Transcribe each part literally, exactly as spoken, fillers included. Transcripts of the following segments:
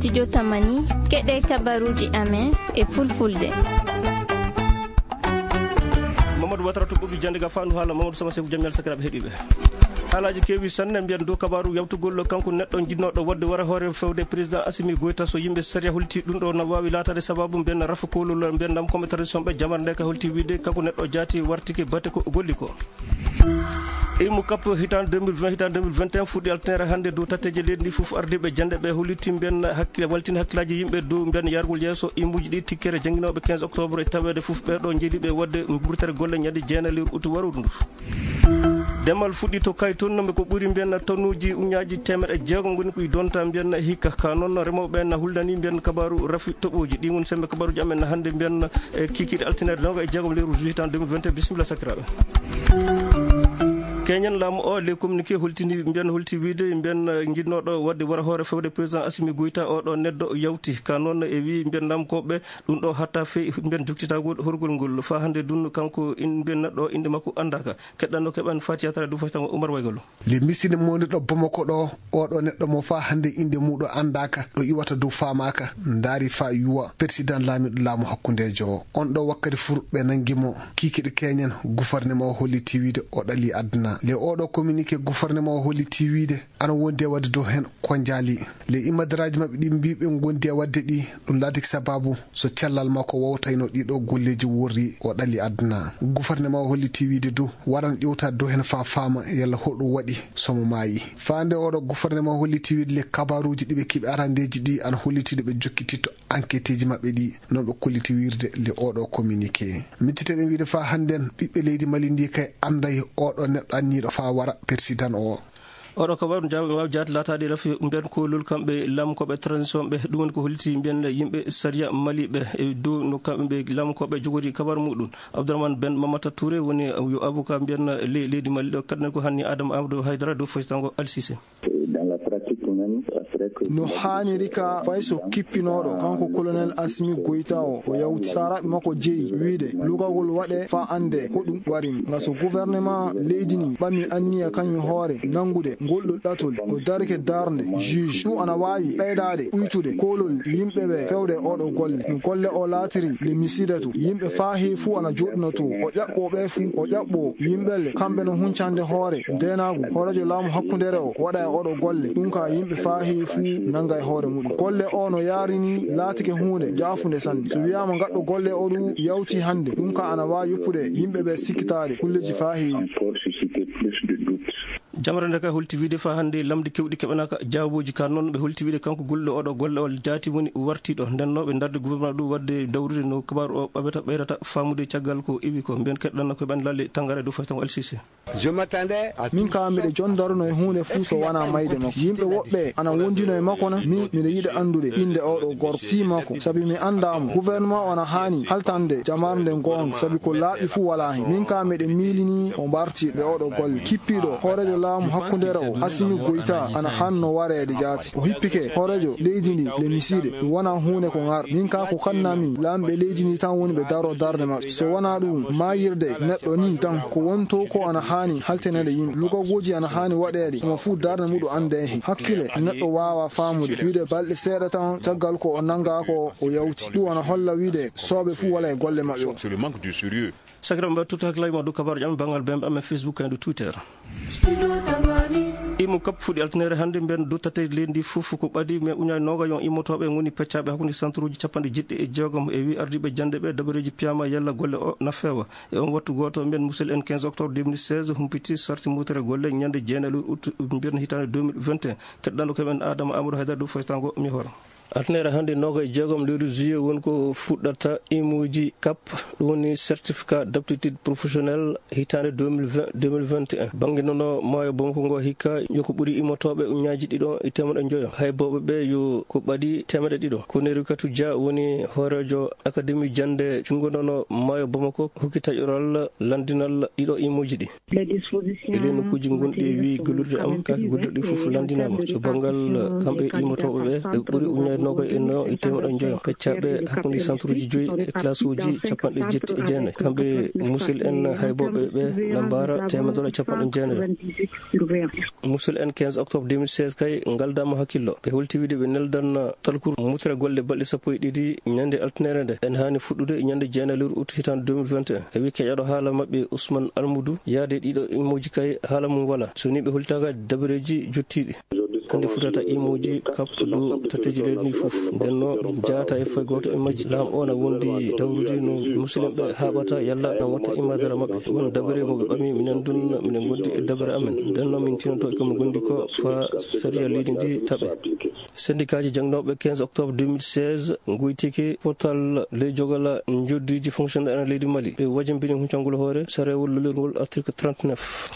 Studio Tamani, keɗe kabaruji amen e fulfulde. Mamadou Watara to ɓoggol jannde ga fandu haala Mamadou Sama Seku, jam ñalle sakiraaɓe heɗiiɓe. Haalaaji keewi sanne, mbiyen dow kabaaru yawtugol kanko neɗɗo jinnooɗo waɗde wara hoore fewde président Assimi Goïta. So yimɓe sariya holti ɗum ɗo na waawi laataade sababu mbiyen rafa koolol mbiyen lam comme tradition ɓe jamar nde ka holti wiide kanko neɗɗo jaati wartike bate ko golli ko. Imu kap hitaande deux mille vingt, hitaande deux mille vingt et un fuɗɗi altine hannde dow tatteeje leydi ndi fof. Ardiiɓe jannde ɓe holliti mbiyen hakkille, waltini hakkillaaji yimɓe dow mbiyen yaargol yeeso imuuji ɗi tikkere jannginooɓe quinze octobre e taweede fof ɓeeɗo njeɗiiɓe waɗde mburtere golle ñande jeenayi lewru utu waruɗo ndu. Demal fuɗɗi to Kayton, mbe ko ɓuri mbiyen tonnuuji uñaaji teemeɗe jeegom ngoni ko i donta mbiyen hikka. Ka noon remooɓe na huldani mbiyen kabaaru rafi toɓooji. Ɗi woni sembe kabaaruji amen hannde mbiyen e kikiiɗe altine nooga e jeegom lewru juillet hitaande deux mille vingt et un. Bisimilla sakiraaɓe. Keñen laamu o, les communiqué holtini mbiyen holti wiide mbiyen jinnooɗo waɗde wara hoore fewde président Assimi Goïta, oɗo neɗɗo yawti. Ka noon e wi mbiyen laamu koɓe ɗum ɗo hatta fey mbiyen jokkitagol horgol ngol. Fa hannde dun kanko in mbiyen neɗɗo innde makko anndaaka. Keɗɗanno keɓan Fatiya Tara du faytango Umar Waygallo. Le miside mondirɗo Bamako ɗo, oɗo neɗɗo mo fa hannde innde muɗo anndaaka, ɗo iwata dow faamaaka, ndaari fa yuwa, président laamiɗo laamu hakkundeejo o. On ɗo wakkati fur ɓe nangi mo, kikiɗe keñen, gouvernement o holliti wiide o ɗali aduna. Le oɗo communiqué gouvernement o holliti wiide ana wondi e waɗde dow hen ko njaali. Le imadaraaji maɓɓe ɗi mbiɓe gondi e waɗde ɗi, ɗum laatiki sababu so cellal makko wowtayno ɗiɗo golleeji worri o ɗali aduna. Gouvernement o holliti wiide dow waran ƴewtaade dow hen fa faama yalla hoɗum waɗi somo maayi. Faande oɗo gouvernement holliti wiide le kabaruuji ɗiɓe kiɓe arandeeji ɗi ana holliti ɗo ɓe jokkititto enquêteji maɓɓe ɗi, non ɓe kolliti wirde le oɗo communiqué. Micciteɗen wiide fa hannden ɓiɓɓe leydi Mali ndi kay annday oɗo neɗɗo anniiɗo fa wara persidan o. Oɗo kabaru jaaɓe waawi jaati laataade rafi mbiyen koolol kamɓe lamkoɓe transition ɓe. Ɗum woni ko holliti mbiyen yimɓe sariya Mali ɓe e dow no kamɓe lamkoɓe jogori kabaru muɗum. Abdourahmane Ben Mamata Touré woni yo avocat mbiyen le-, leydi Mali ɗo. Kaɗen ko hanni Adama Amadou Haydara dow faytango Al Sisi. Dans la pratique même, après que no haaniri ka fay so kippinooɗo kanko colonel Assimi Goïta o, o yawti saraɓe makko jeyi wiide lugagol waɗe fa annde hoɗum warim. Nga so gouvernement leydi ni ɓami anniya kañum hoore nanngude ngol ɗo ɗatol, ko darike darnde juge. Ɗum ana waawi ɓeydaade uytude koolol yimɓe ɓe fewde oɗo golle. No golle o laatiri le misida to, yimɓe fa heewi fuu ana joɗɗuno to. O ƴaɓɓo ɓe fuu, o ƴaɓɓo yimɓe le kamɓe no huncande hoore ndeenaagu. Hooreejo laamu hakkundere o waɗa e oɗo golle. Ɗum ka yimɓe fa heewi fuu nannga e hoore muɗum. Golle o no yaarini laatike huunde jaafunde sanne. So wiyaama ngaɗɗo golle o ɗum yawti hannde, ɗum ka ana waawi yoppude yimɓe ɓe sikkitaade kulleeji fa heewi. Encore susciter plus de doutes. Jamre nde ka holti wiide fa hannde lamɗi kewɗi keɓanaaka jaawooji ka noon ɓe holti wiide kanko golle oɗo golle o jaati woni wartiiɗo. Nden no ɓe ndarde gouvernement ɗum waɗde dawrude no kabaaru o ɓaɓeta ɓeyrata faamude caggal ko iwi ko. Mbiyen keɗɗanno ko ɓen lalle tangare dow faytango L C C. Min ka miɗo jondaruno e huunde fuu so wonaa mayde makko. Yimɓe woɓɓe ana wondino e makko na? Min miɗo yiɗa anndude innde oɗo gorko, si makko, sabi mi anndaa mo. Gouvernement o ana haani haltande jamarnde ngoonga, sabi ko laaɓi fuu walaa hen. Min ka miɗo miilini o mbarti ɓe oɗo golle. Kippiiɗo hooreejo laamu hakkundere o, Assimi Goïta, ana haanno wareede jaati. O hippike hooreejo leydi ndi le miside. Ɗum wonaa huunde ko ngar. Min ka ko kannami laamɓe leydi ndi tan woni ɓe daro darnde maɓɓe. So wonaa ɗum, maayirde neɗɗo ni tan ko wonto ko ana haani halteneede yimɓe. Lugagooji ana haani waɗeede, mo fuu darnde muɗum annde heen. Hakkile neɗɗo waawa faamude. Wiide balɗe seeɗa tan caggal ko o nanngaa ko o yawti. Ɗum ana holla wiide sooɓe fuu wala e golle maɓɓe o. Sakiraaɓe mbaɗa tutto hakkilaaji ma dow kabaaruji amen banngal bembe amen Facebook kaydo Twitter. Imu kap fuɗi altinere hannde mbiyen dow tatte leydi fof ko ɓadi mais uñaani nooga yon immotooɓe ngoni peccaaɓe hakkunde centre uji capanɗe jeɗɗi e jeegom e wi ardiiɓe jannde ɓe dabareeji piyama yalla golle o na feewa. E on wattu gooto mbiyen musil en quinze octobre deux mille seize humpiti sarti mutere golle ñande jeenayi lewru août mbiyen hitaande deux mille vingt et un. Keɗɗanɗo ko men Adama Amadou Haydara dow faytango mi hoora. Altinere hannde nooga e jeegom lewru juillet woni ko fuɗɗata imuuji kap, ɗum woni certificat d'aptitude professionnelle hitaande deux mille vingt, deux mille vingt et un. Bannge nono maayo Bamako ngo hikka yo ko ɓuri immotooɓe uñaaji ɗiɗo e teemeɗe njoyo. Hay booɓe ɓe yo ko ɓadi teemeɗe ɗiɗo. Ko Nerikatu Dia woni hooreejo Akademi jannde junngo nono maayo Bamako hokki taƴoral lanndinal ɗiɗo imuuji ɗi. E ɗee nokkuuji ngonɗi e wii gollirde am, kaake gollirɗe ɗi fof lanndinaama. So banngal kamɓe immotooɓe ɓe, ɓe ɓuri uñaade Noga e no e temeɗɗe joyo. Peccaaɓe hakkunde santuruuji joyi e classe uji capanɗe jetti e jeenayi. Kamɓe musil en haybooɓe ɓe na mbaara temeɗɗe capanɗe jeenayi. Musil en quinze octobre deux mille seize kay ngaldaama hakkillo. Ɓe holti wiide ɓe neldan talkuru mutra golle balɗe sappo e ɗiɗi ñande altine nde. En haani fuɗɗude ñande jeenayi lewru août hitaande deux mille vingt et un. E wi keƴaɗo haala maɓɓe Ousmane Almoudou, yaade ɗiɗo imooji kay haala mum wala. So ni ɓe holtaka dabareeji jottiiɗi. Hannde futata imooji kappuɗo tatteeji leydi ndi fof. Nden no jaata e fay gooto e majji. Laam o na wondi dawrude no musulmɓe haaɓata yalla na watta imaadara maɓɓe. Won dabare mo ɓe ɓami minen dun, minen gondi e dabare amen. Nden no min tinoto e ko min gondi ko fa sariya leydi ndi taɓe. Sendikaaji jangnooɓe quinze octobre deux mille seize ngoytike potal ley jogal njoddiji fonctionnaire en leydi Mali. Ɓe wajambini huncangol hoore sarewol lolirngol article trente-neuf.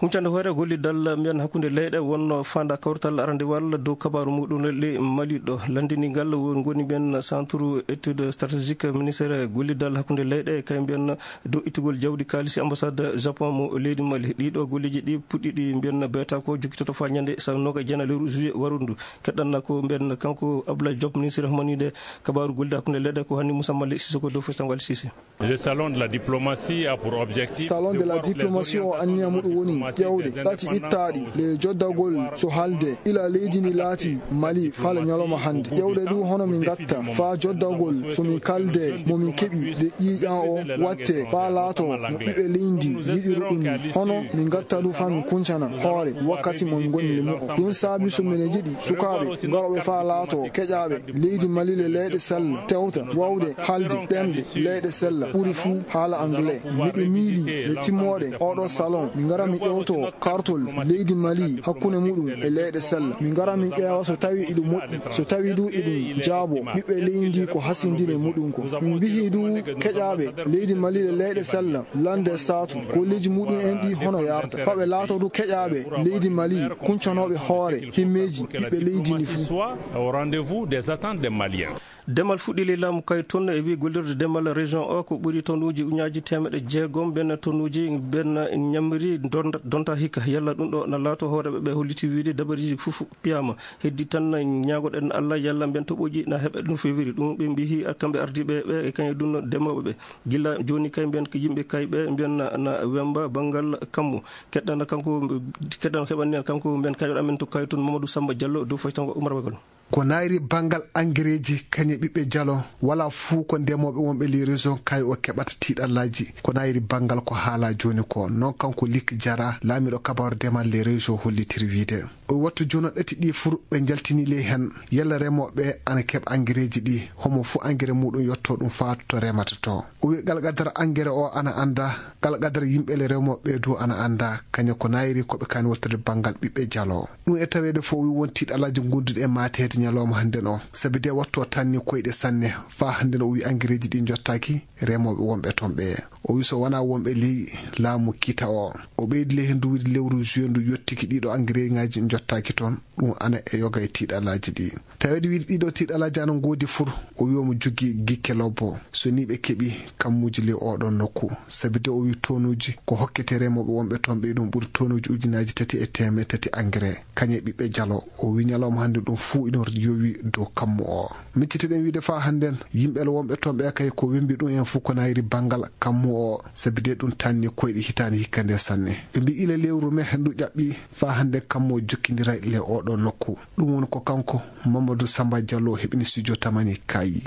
Huncande hoore gollidal mbiyan hakkunde leyɗe wonno fanda kawrital arandewal dow kabaru muɗum le Mali ɗo. Landini ngal woni mbiyan centre étude stratégique ministère gollidal hakkunde leyɗe kay mbiyan dow ittugol jawdi kaalisi ambassade Japon mo leydi Mali. Ɗiɗo golleji ɗi puɗɗiɗi mbiyan beta ko jokkitoto fa ñande sa noga jena lewru juillet warundu. Keɗɗanna ko mbiyan kanko Abdoulaye Diop ministre homanide kabaru gollidal hakkunde leyɗe ko hanni Moussa Mali Sissoko dow fo sango Ali Sisi. Le salon de la diplomatie a pour objectif Salon de la diplomatie o anniya muɗum woni ƴewde ɗati ittaaɗi le joddagol so halde ila leydi ndi laati Mali fala ñalawma hannde. Ƴewde ɗum hono min ngatta faa joddagol so min kalde mo min keɓi de ƴiiƴan o watte faa laato no ɓiɓɓe leydi yiɗiri ɗum ni. Hono min ngatta ɗum faa min kuncana hoore wakkati mo min ngoni le mu'o. Ɗum saabi so minen njiɗi sukaaɓe ngarooɓe faa laato keƴaaɓe leydi Mali le leyɗe sella tewta wawde halde ɗemɗe leyɗe sella ɓuri fuu haala anglais. Miɗo miili le timmooɗe oɗo salon mi ngara mi ƴewto kartol leydi Mali hakkunde muɗum e leyɗe sella. Mi ngara min ƴeewa so tawi iɗum moƴƴi, so tawi du iɗum jaabo ɓiɓɓe leydi ndi ko hasindine muɗum ko. Min mbihi du keƴaaɓe leydi Mali le leyɗe sella lande saatu golleji muɗum en ɗi hono yarta. Faɓe laato du keƴaaɓe leydi Mali kuncanooɓe hoore himmeeji ɓiɓɓe leydi ndi fuu. Au rendez-vous des attentes des Maliens. Demal fuɗɗi ley laamu kay toon e wi gollirde demal région o ko ɓuri tonnuuji uñaaji teemeɗe jeegom ɓen tonnuuji ɓen ñamri donta, donta hikka. Yalla ɗum ɗo na laato hooreɓe ɓe holliti wiide dabariji fof piyama. Heddi tan ñaagoɗen Allah yalla mbiyen toɓoji na heɓe no fewiri. Ɗum ɓe mbihi kamɓe ardiɓe ɓe e kañum ɗum demoɓe ɓe. Gila jooni kay mbiyen ko yimɓe kay ɓe mbiyen na, na wemba banngal kammu. Keɗɗana kanko, keɗɗana keɓani en kanko mbiyen kañoɗo amen to kay toon Mamadou Samba Diallo dow faytango Oumar Bagol. Ko nayri banngal angereeji kañe ɓiɓɓe jalo, wala fuu ko ndemooɓe wonɓe les régions kay o keɓata tiiɗallaaji. Ko nayri banngal ko haalaa jooni ko. Noon kanko Lik Jara, laamiiɗo kabaaru demal les régions hollitiri wiide. O wattu jono ɗati ɗi fur ɓe njaltini ley heen. Yalla remooɓe ana keɓa angereeji ɗi, homo fuu angere muɗum yotto ɗum faa to remata to. O wi qalqadar angere o ana annda, qalqadar yimɓe le remooɓe du ana annda, kañe ko nayri ko ɓe kani wattude banngal ɓiɓɓe jalo. Ɗum e taweede fof o wi won tiiɗalaaji ngonduɗi e maateede ñalawma hannden o. Sabi de wattu o tanni koyɗe sanne. Faa hannden o wi angereeji ɗi njottaaki remooɓe wonɓe toon ɓe. O wi so wonaa wonɓe ley laamu kiita o. O ɓeydi ley heen du wiide lewru juin ndu yottiki ɗiɗo angereeŋaaji njottaaki toon. Ɗum ana e yoga e tiiɗalaaji ɗi. Taweede wiide ɗiɗo tiiɗalaaji ana ngoodi fur, o wi omo jogii gikke lobbo. So ni ɓe keɓi kammuuji ley oɗon nokku. Sabi de o wi tonuuji ko hokkete remooɓe wonɓe toon ɓe ɗum ɓuri tonuuji ujunaaji tati e teemeɗe tati engrais. Kañe ɓiɓɓe jalo. O wi ñalawma hannde ɗum fuu ina yowi dow kammu o. Miccitiɗen wiide faa hannden, yimɓe le wonɓe toon ɓe kay ko wembi ɗum en fuu ko nayri banngal kammu o. Sabi de ɗum tanni koyɗe hitaande hikka nde sanne. Ɓe mbi ila lewru me ndu ƴaɓɓi faa hannde kammu o jokkindiray le oɗo nokku. Ɗum woni ko kanko Mamadou Samba Diallo heɓini studio Tamani Kayi.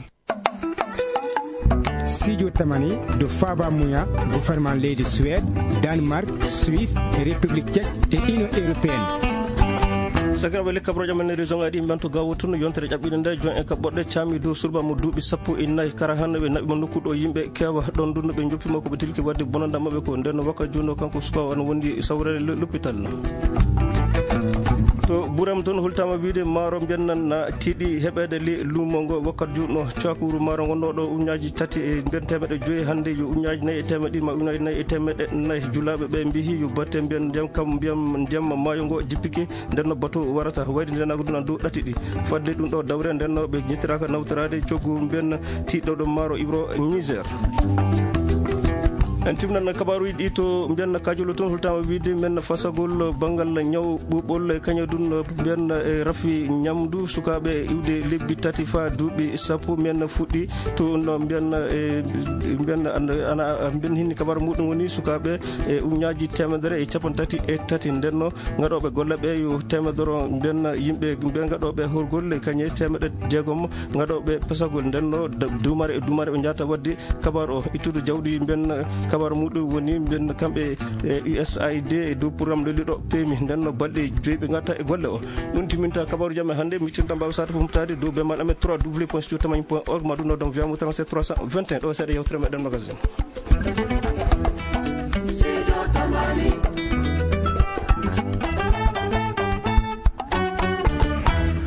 Studio Tamani do faaba muya gouvernement leydi Suède, Danemark, Suisse, République Tchèque et Union Européenne. Sakiraɓe le kabroje men région aɗi men to gawo tun yontere ƴaɓɓiɗe nde jon e kaɓɓoɗe caami dow surba mo duuɓi sappo e nayi kara han ɓe naɓi mo nokku ɗo yimɓe kewa ɗon dunno ɓe joppi mo ko ɓe tilki wadde bonanda maɓɓe ko nden wakka juno kanko suka on wondi sawrere l'hôpital. To Buram toon holtama wiide maaro mbiyen nan na tiiɗi heɓeede le luumo ngo wakkat juutno cakuru maaro ngonnoɗo uñaaji tati e mbiyen teemeɗe joyi hannde yo uñaaji nayi e teemeɗe ɗiɗi ma uñaaji nayi e teemeɗe nayi julaaɓe ɓe mbihi yo batte mbiyen ndiyam kam mbiyam ndiyam maayo ngo jippike ndenno bato warata wayde ndenaako ɗum an dow ɗati ɗi fadde ɗum ɗo dawre ndenno ɓe ñettiraka nawtoraade coggu mbiyen tiiɗɗo ɗo maaro Ibro Niger. En timnan kabaaruuji ɗi to mbiyan kajolo toon, holtaama wiide mbiyan fasagol banngal ñaw ɓuuɓol e kañum ɗum mbiyan e rafi ñamdu sukaaɓe iwde lebbi tati faa duuɓi sappo mbiyan fuɗɗi to no mbiyan e mbiyan ana mbiyan hinni kabaaru muɗum woni sukaaɓe e uññaaji teemedere e capanɗe tati e tati ndenno ngaɗooɓe golle ɓe yo teemedoro mbiyan yimɓe mbiyan ngaɗooɓe horgolle kañe teemeɗe jeegom ngaɗooɓe pesagol ndenno duumare e duumare ɓe njahata waɗde kabaaru o ittude jawdi mbiyan kabaaru muɗum woni mbiyan kamɓe e U S A I D e dow programme lelliɗo pemi ndenno balɗe joyi ɓe ngatta e golle o. Ɗum timminta kabaaru jam e hannde, miccinta mbaawa sata fof mutaade dow bemmal amen trois w point studio tamani point org ma ɗum noddam wiyamo trente-sept trois cent vingt et un ɗo seeɗa yewtere meɗen magasin.